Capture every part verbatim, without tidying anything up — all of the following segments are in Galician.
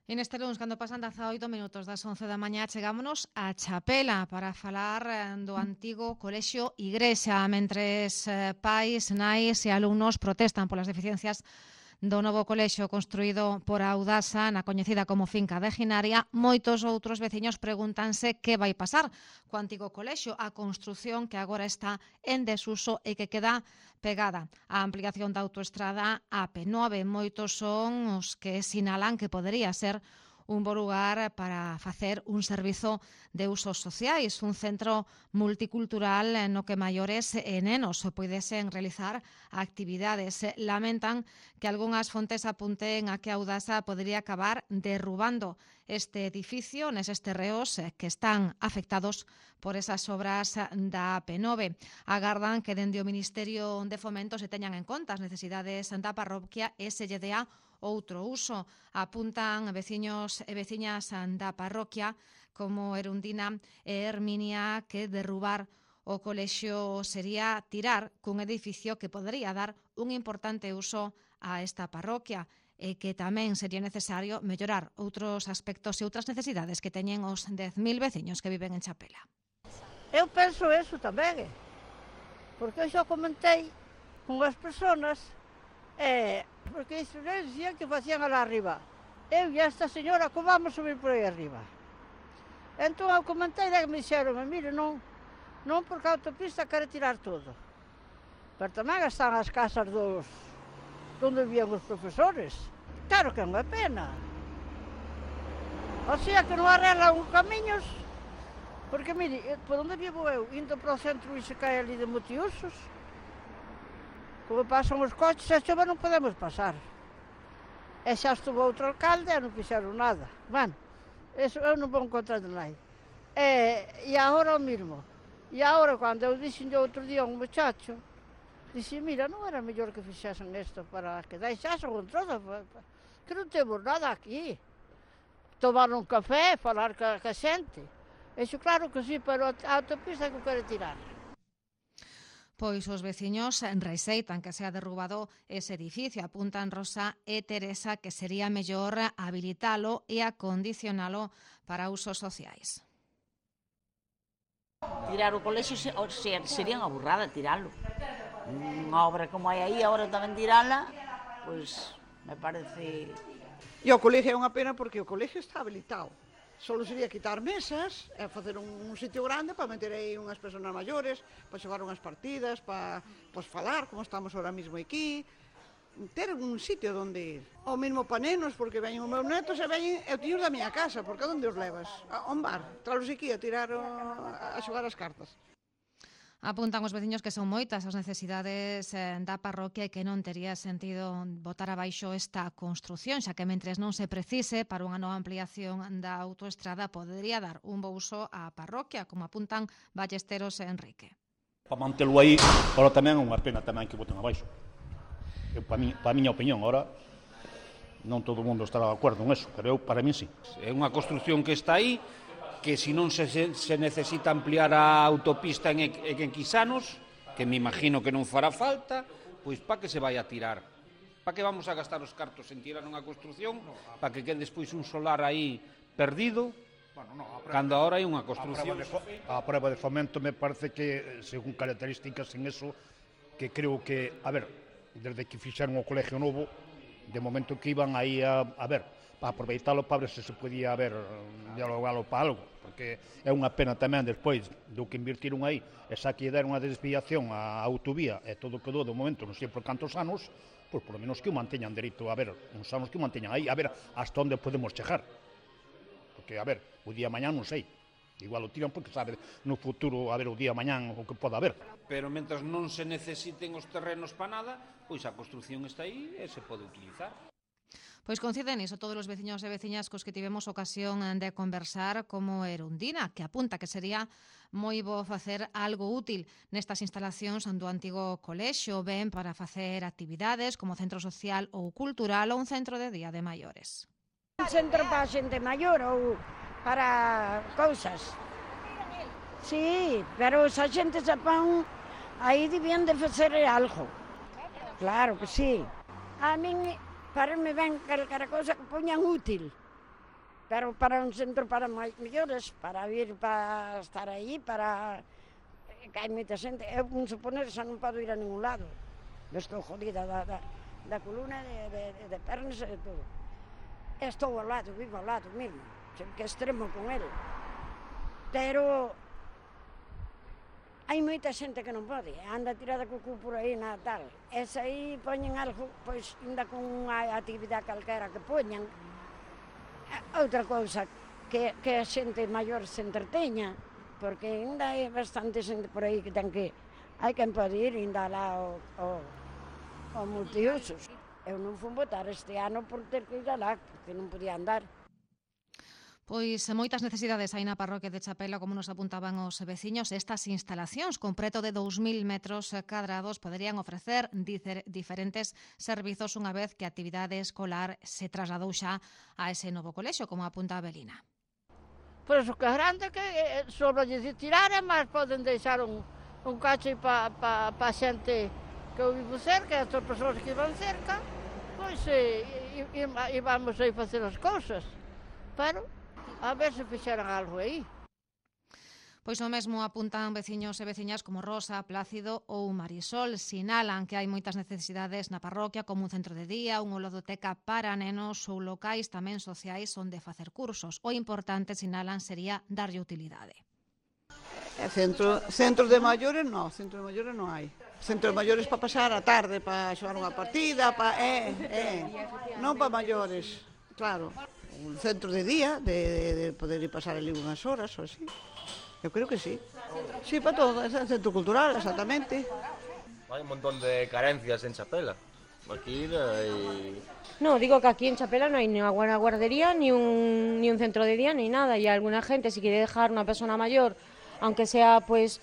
E neste lunes, cando pasan dezaoito minutos das once da mañá, chegámonos a Chapela para falar do antigo colexio Igrexa, mentres pais, nais e alumnos protestan polas deficiencias do novo colexio construído por Audasa na coñecida como finca de Ginaria. Moitos outros veciños pregúntanse que vai pasar co antigo colexio, a construción que agora está en desuso e que queda pegada á ampliación da autoestrada A P nove. Moitos son os que sinalan que podería ser un bo lugar para facer un servizo de usos sociais, un centro multicultural no que maiores e nenos poidesen realizar actividades. Lamentan que algunhas fontes apunten a que Audasa podría acabar derrubando este edificio neses terreos que están afectados por esas obras da A P nove. Agardan que dende o Ministerio de Fomento se teñan en conta as necesidades da parroquia e se lle dea outro uso. Apuntan veciños e veciñas da parroquia como Erundina e Herminia que derrubar o colexio sería tirar cun edificio que podría dar un importante uso a esta parroquia e que tamén sería necesario mellorar outros aspectos e outras necesidades que teñen os dez mil veciños que viven en Chapela. Eu penso eso tamén, porque eu xa comentei con as persoas, eh, porque isto non dicían que facían alá arriba. Eu e esta señora, como vamos subir por aí arriba? Entón eu comentei e me dixeron, mire, non, non porque a autopista quere tirar todo. Pero tamén están as casas dos onde vivían os profesores. Claro que é unha pena. O sea que non arreglan os camiños, porque mire, por onde vivo eu, indo para o centro e se cae ali de Motiusos, como pasan os coches, e chove non podemos pasar. E xa estuvo outro alcalde e non fixeron nada. Bueno, eso eu non vou encontrar de nada. E, e agora o mismo. E agora, cando eu dixen outro día a un muchacho, dixen, mira, non era mellor que fixesen isto para que deixasen con todo, que non temos nada aquí. Tomar un café, falar ca, ca xente. Eso claro que sí, pero a autopista que quere tirar. Pois os veciños rexeitan que sea derrubado ese edificio. Apuntan Rosa e Teresa que sería mellor habilitalo e acondicionalo para usos sociais. Tirar o colexio sería unha burrada tiralo. Unha obra como hai aí, agora tamén tirala, pois me parece... E o colexio é unha pena porque o colexio está habilitado. Solo sería quitar mesas e facer un, un sitio grande para meter aí unhas persoas maiores, para xogar unhas partidas, para pues, falar, como estamos ahora mismo aquí, ter un sitio onde ir. O mesmo para nenos, porque veñen os meus netos e veñen eu tiños da miña casa, porque onde os levas? A un bar, tralos aquí a tirar o, a xogar as cartas. Apuntan os veciños que son moitas as necesidades da parroquia e que non tería sentido botar abaixo esta construción, xa que mentres non se precise para unha nova ampliación da autoestrada podería dar un bo uso á parroquia, como apuntan Ballesteros e Enrique. Para mantelo aí, ahora tamén é unha pena tamén que boten abaixo. Eu, para, mi, para a miña opinión, ahora non todo o mundo estará de acordo en eso, pero eu, para mí, sí. É unha construción que está aí, que se non se, se necesita ampliar a autopista en, en Quisanos, que me imagino que non fará falta, pois para que se vai a tirar? Para que vamos a gastar os cartos en tirar unha construción? Para que quede despois un solar aí perdido? Bueno, no, a prueba, cando ahora hai unha construción... A prueba de fomento me parece que, según características en eso, que creo que, a ver, desde que fixeron o colegio novo, de momento que iban aí a, a ver, para aproveitalo para ver se se podía haber dialogalo para algo, porque é unha pena tamén despois do que invirtiron aí, e xa que deron unha desviación á autovía e todo quedou de momento non sei por cantos anos, pois por lo menos que o manteñan dereito a ver, uns anos que o manteñan aí, a ver hasta onde podemos chegar, porque a ver, o día mañán non sei, igual o tiran porque sabe no futuro a ver o día mañán o que poda haber. Pero mentras non se necesiten os terrenos para nada, pois a construción está aí e se pode utilizar. Pois coinciden iso todos os veciños e veciñas cos que tivemos ocasión de conversar, como Erundina, que apunta que sería moi bo facer algo útil nestas instalacións do antigo colexio, ben para facer actividades como centro social ou cultural ou un centro de día de maiores. Un centro para a xente maior ou para cousas. Sí, pero esa xente se pan aí debían de facer algo. Claro que sí. A min... Parece-me ben calquera cousa que poñan útil. pero para un centro para maiores, para vir, para estar aí, para... que hai moita xente, eu non suponer xa non podo ir a ningún lado, estou jodida da, da, da columna, de, de, de pernas e de todo. Estou ao lado, vivo ao lado mesmo, que extremo con ele, pero hai moita xente que non pode, anda tirada co cu por aí na tal, e se aí poñen algo, pois ainda con unha actividade calquera que poñan, outra cousa, que, que a xente maior se entreteña, porque ainda hai bastante xente por aí que ten que, hai quen pode ir ainda lá ao, ao, ao multiusos. Eu non fui votar este ano por ter que ir alá, porque non podía andar. Pois moitas necesidades hai na parroquia de Chapela, como nos apuntaban os veciños. Estas instalacións, con preto de dous mil metros cadrados, poderían ofrecer diferentes servizos unha vez que a actividade escolar se trasladou xa a ese novo colexio, como apunta a Belina. Por iso que é grande, que sobre de tirar, mas poden deixar un, un cacho para pa, pa xente que eu vivo cerca, as persoas que van cerca, pois e, e, e vamos aí facer as cousas. Pero a ver se fixeran algo aí. Pois o mesmo apuntan veciños e veciñas como Rosa, Plácido ou Marisol. Sinalan que hai moitas necesidades na parroquia, como un centro de día, unha ludoteca para nenos ou locais tamén sociais onde facer cursos. O importante, sinalan, sería darlle utilidade. E centro, centro de maiores non, centro de maiores non hai. Centro de maiores para pasar a tarde, para xogar unha partida, para, eh, eh, non para maiores, claro. Un centro de día, de, de, de poder ir pasar ali unhas horas ou así. Eu creo que sí. Sí, para todo, é centro cultural, exactamente. Hai un montón de carencias en Chapela. Aquí hay... No, digo que aquí en Chapela no hay ni una buena guardería, ni un, ni un centro de día, ni nada. Y alguna gente, si quiere dejar una persona mayor, aunque sea, pues...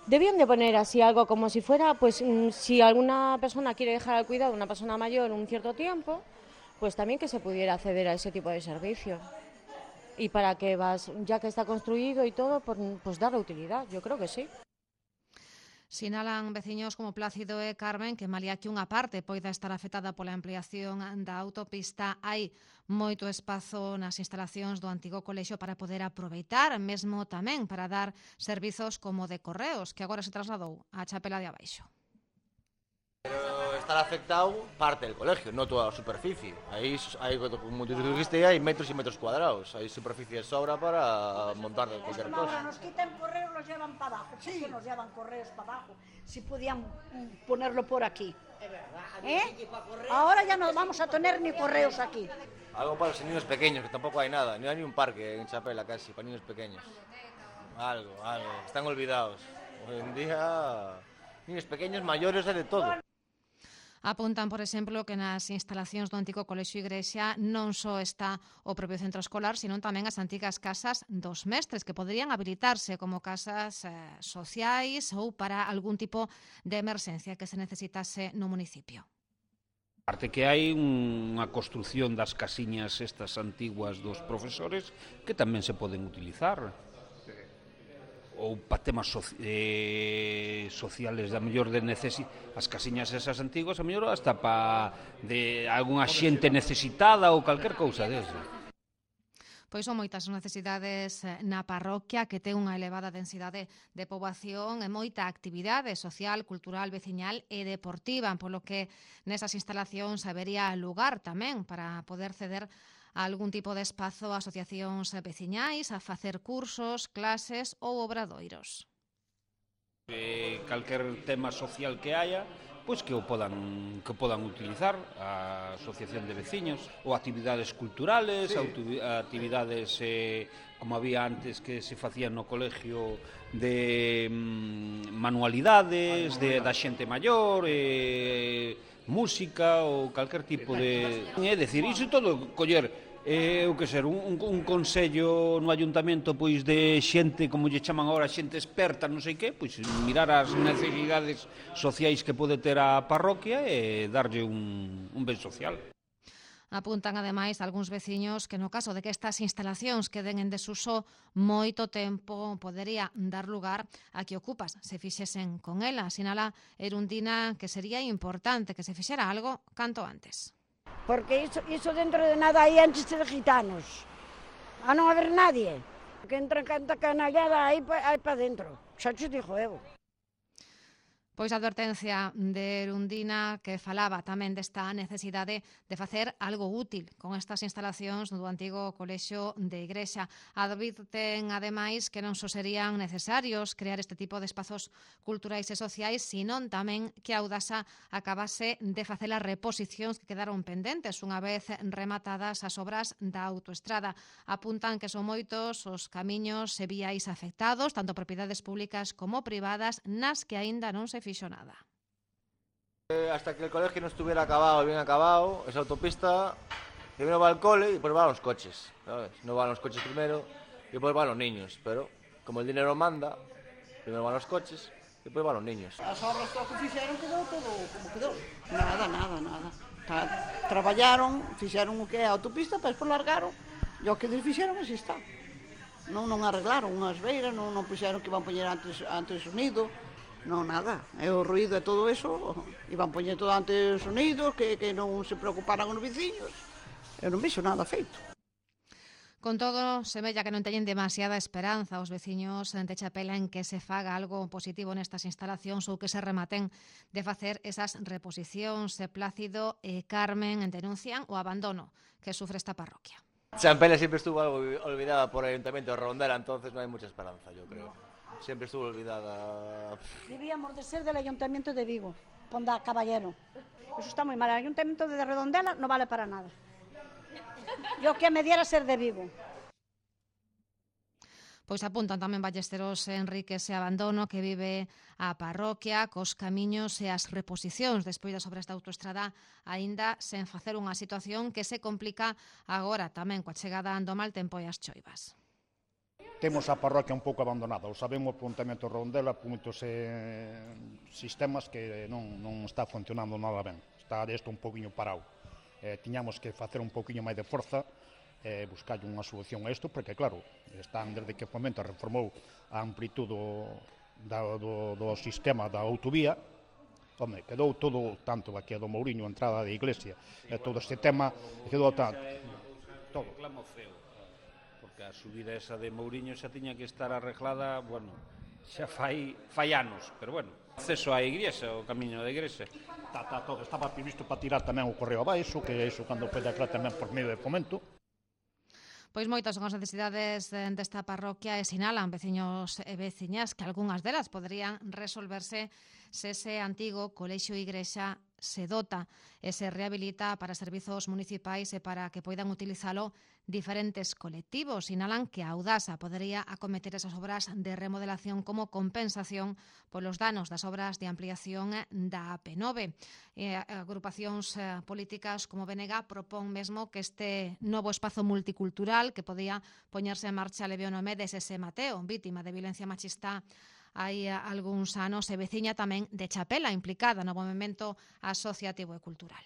Debían de poner así algo como si fuera, pues, si alguna persona quiere dejar al cuidado de una persona mayor un cierto tiempo, pues también que se pudiera acceder a ese tipo de servicio. Y para que vas, ya que está construido y todo, pues darle utilidad, yo creo que sí. Sinalan veciños como Plácido e Carmen que malia que unha parte poida estar afectada pola ampliación da autopista, hai moito espazo nas instalacións do antigo colexio para poder aproveitar, mesmo tamén para dar servizos como de correos, que agora se trasladou á Chapela de Abaixo. Pero estar afectado parte del colegio, no toda la superficie. Ahí, hay, como tú dijiste, hay metros y metros cuadrados. Hay superficie de sobra para montar cualquier cosa. Nos quitan correos, los llevan para abajo. Sí, nos llevan correos para abajo. Si podían ponerlo por aquí. Es verdad. ¿Eh? Ahora ya no vamos a tener ni correos aquí. Algo para los niños pequeños, que tampoco hay nada. No hay ni un parque en Chapela casi, para niños pequeños. Algo, algo. Están olvidados. Hoy en día, niños pequeños, mayores, hay de todo. Apuntan, por exemplo, que nas instalacións do antigo colexio Igrexa non só está o propio centro escolar, sino tamén as antigas casas dos mestres, que poderían habilitarse como casas eh, sociais ou para algún tipo de emerxencia que se necesitase no municipio. Aparte que hai unha construción das casiñas estas antiguas dos profesores que tamén se poden utilizar. Ou para temas so, eh, sociales, a mellor de necesi as casiñas esas antiguas, a mellor hasta para de algunha xente necesitada ou calquer cousa desas. Pois son moitas necesidades na parroquia, que ten unha elevada densidade de poboación e moita actividade social, cultural, veciñal e deportiva, polo que nesas instalacións habería lugar tamén para poder ceder a algún tipo de espazo a asociacións veciñais, a facer cursos, clases ou obradoiros. Eh, calquer tema social que haya, pois que o podan que podan utilizar a asociación de veciños ou actividades culturales, sí. actividades eh, como había antes que se facían no colegio de mm, manualidades, de da xente maior, eh, música ou calquer tipo de... É dicir, iso todo coller, eh, o que ser, un, un, un consello no ayuntamento pois de xente, como lle chaman agora, xente experta, non sei que, pois mirar as necesidades sociais que pode ter a parroquia e darlle un, un ben social. Apuntan, ademais, algúns veciños que no caso de que estas instalacións queden en desuso moito tempo, podería dar lugar a que ocupas se fixesen con ela. Sinala Erundina que sería importante que se fixera algo canto antes. Porque iso, iso dentro de nada aí antes de gitanos. a non haber nadie. Que entra canta canallada aí para dentro. Xa te dixo eu. Pois a advertencia de Erundina que falaba tamén desta necesidade de facer algo útil con estas instalacións do antigo colexio de Igrexa. Advirten, ademais, que non só serían necesarios crear este tipo de espazos culturais e sociais, senón tamén que a Audasa acabase de facer as reposicións que quedaron pendentes unha vez rematadas as obras da autoestrada. Apuntan que son moitos os camiños e víais afectados, tanto propiedades públicas como privadas, nas que aínda non se fixo nada. Hasta que el colegio no estuviera acabado, bien acabado, esa autopista, primero va al cole y después van los coches, ¿sabes? No van los coches primero y después van los niños, pero como el dinero manda, primero van los coches y después van los niños. As obras que fixeron quedou todo como quedou. Nada, nada, nada. Ta, traballaron, fixeron o que é a autopista, pero despois largaron, e o que fixeron así está. Non, non arreglaron unhas beiras, non, non puxeron que iban poñer antes, antes o nido. Non, nada, é o ruído e todo eso, iban poñer todo antes sonidos, que, que non se preocuparan os veciños, eu non vixo nada feito. Con todo, semella que non teñen demasiada esperanza os veciños de Chapela en que se faga algo positivo nestas instalacións ou que se rematen de facer esas reposicións. Plácido e Carmen denuncian o abandono que sufre esta parroquia. Champela siempre estuvo algo olvidada por el Ayuntamiento de Redondela, entonces no hay mucha esperanza, yo creo. Siempre estuvo olvidada. Debíamos de ser del Ayuntamiento de Vigo, Ponda Caballero. Eso está muy mal. El Ayuntamiento de Redondela no vale para nada. Yo que me diera ser de Vigo. Pois apuntan tamén Ballesteros Enrique ese abandono que vive a parroquia cos camiños e as reposicións despois das obras da autoestrada aínda sen facer unha situación que se complica agora tamén coa chegada do mal tempo e as choivas. Temos a parroquia un pouco abandonada, o sabemos o Ayuntamiento de Redondela por moitos eh, sistemas que non, non está funcionando nada ben, está isto un pouquinho parado. Eh, tiñamos que facer un pouquinho máis de forza, eh, buscar unha solución a isto, porque claro, están desde que o Fomento reformou a amplitude do, do, do sistema da autovía, home, quedou todo, tanto aquí do Mouriño, a entrada da iglesia, e todo este tema, quedou tanto, todo. Reclamo feo, porque a subida esa de Mouriño xa tiña que estar arreglada, bueno, xa fai, fai anos, pero bueno, acceso á igrexa, o camiño da igrexa. Tá, tá, todo, estaba previsto para tirar tamén o correo abaixo, que iso cando pode aclarar tamén por medio de Fomento. Pois moitas son as necesidades desta parroquia e sinalan veciños e veciñas que algunhas delas poderían resolverse se ese antigo colexio igrexa se dota e se rehabilita para servizos municipais e para que poidan utilizalo diferentes colectivos. Sinalan que a Audasa podería acometer esas obras de remodelación como compensación polos danos das obras de ampliación da A P nove. E agrupacións políticas como B N G propón mesmo que este novo espazo multicultural que podía poñerse en marcha leve o nome de Sese Mateo, vítima de violencia machista hai algúns anos e veciña tamén de Chapela implicada no movemento asociativo e cultural.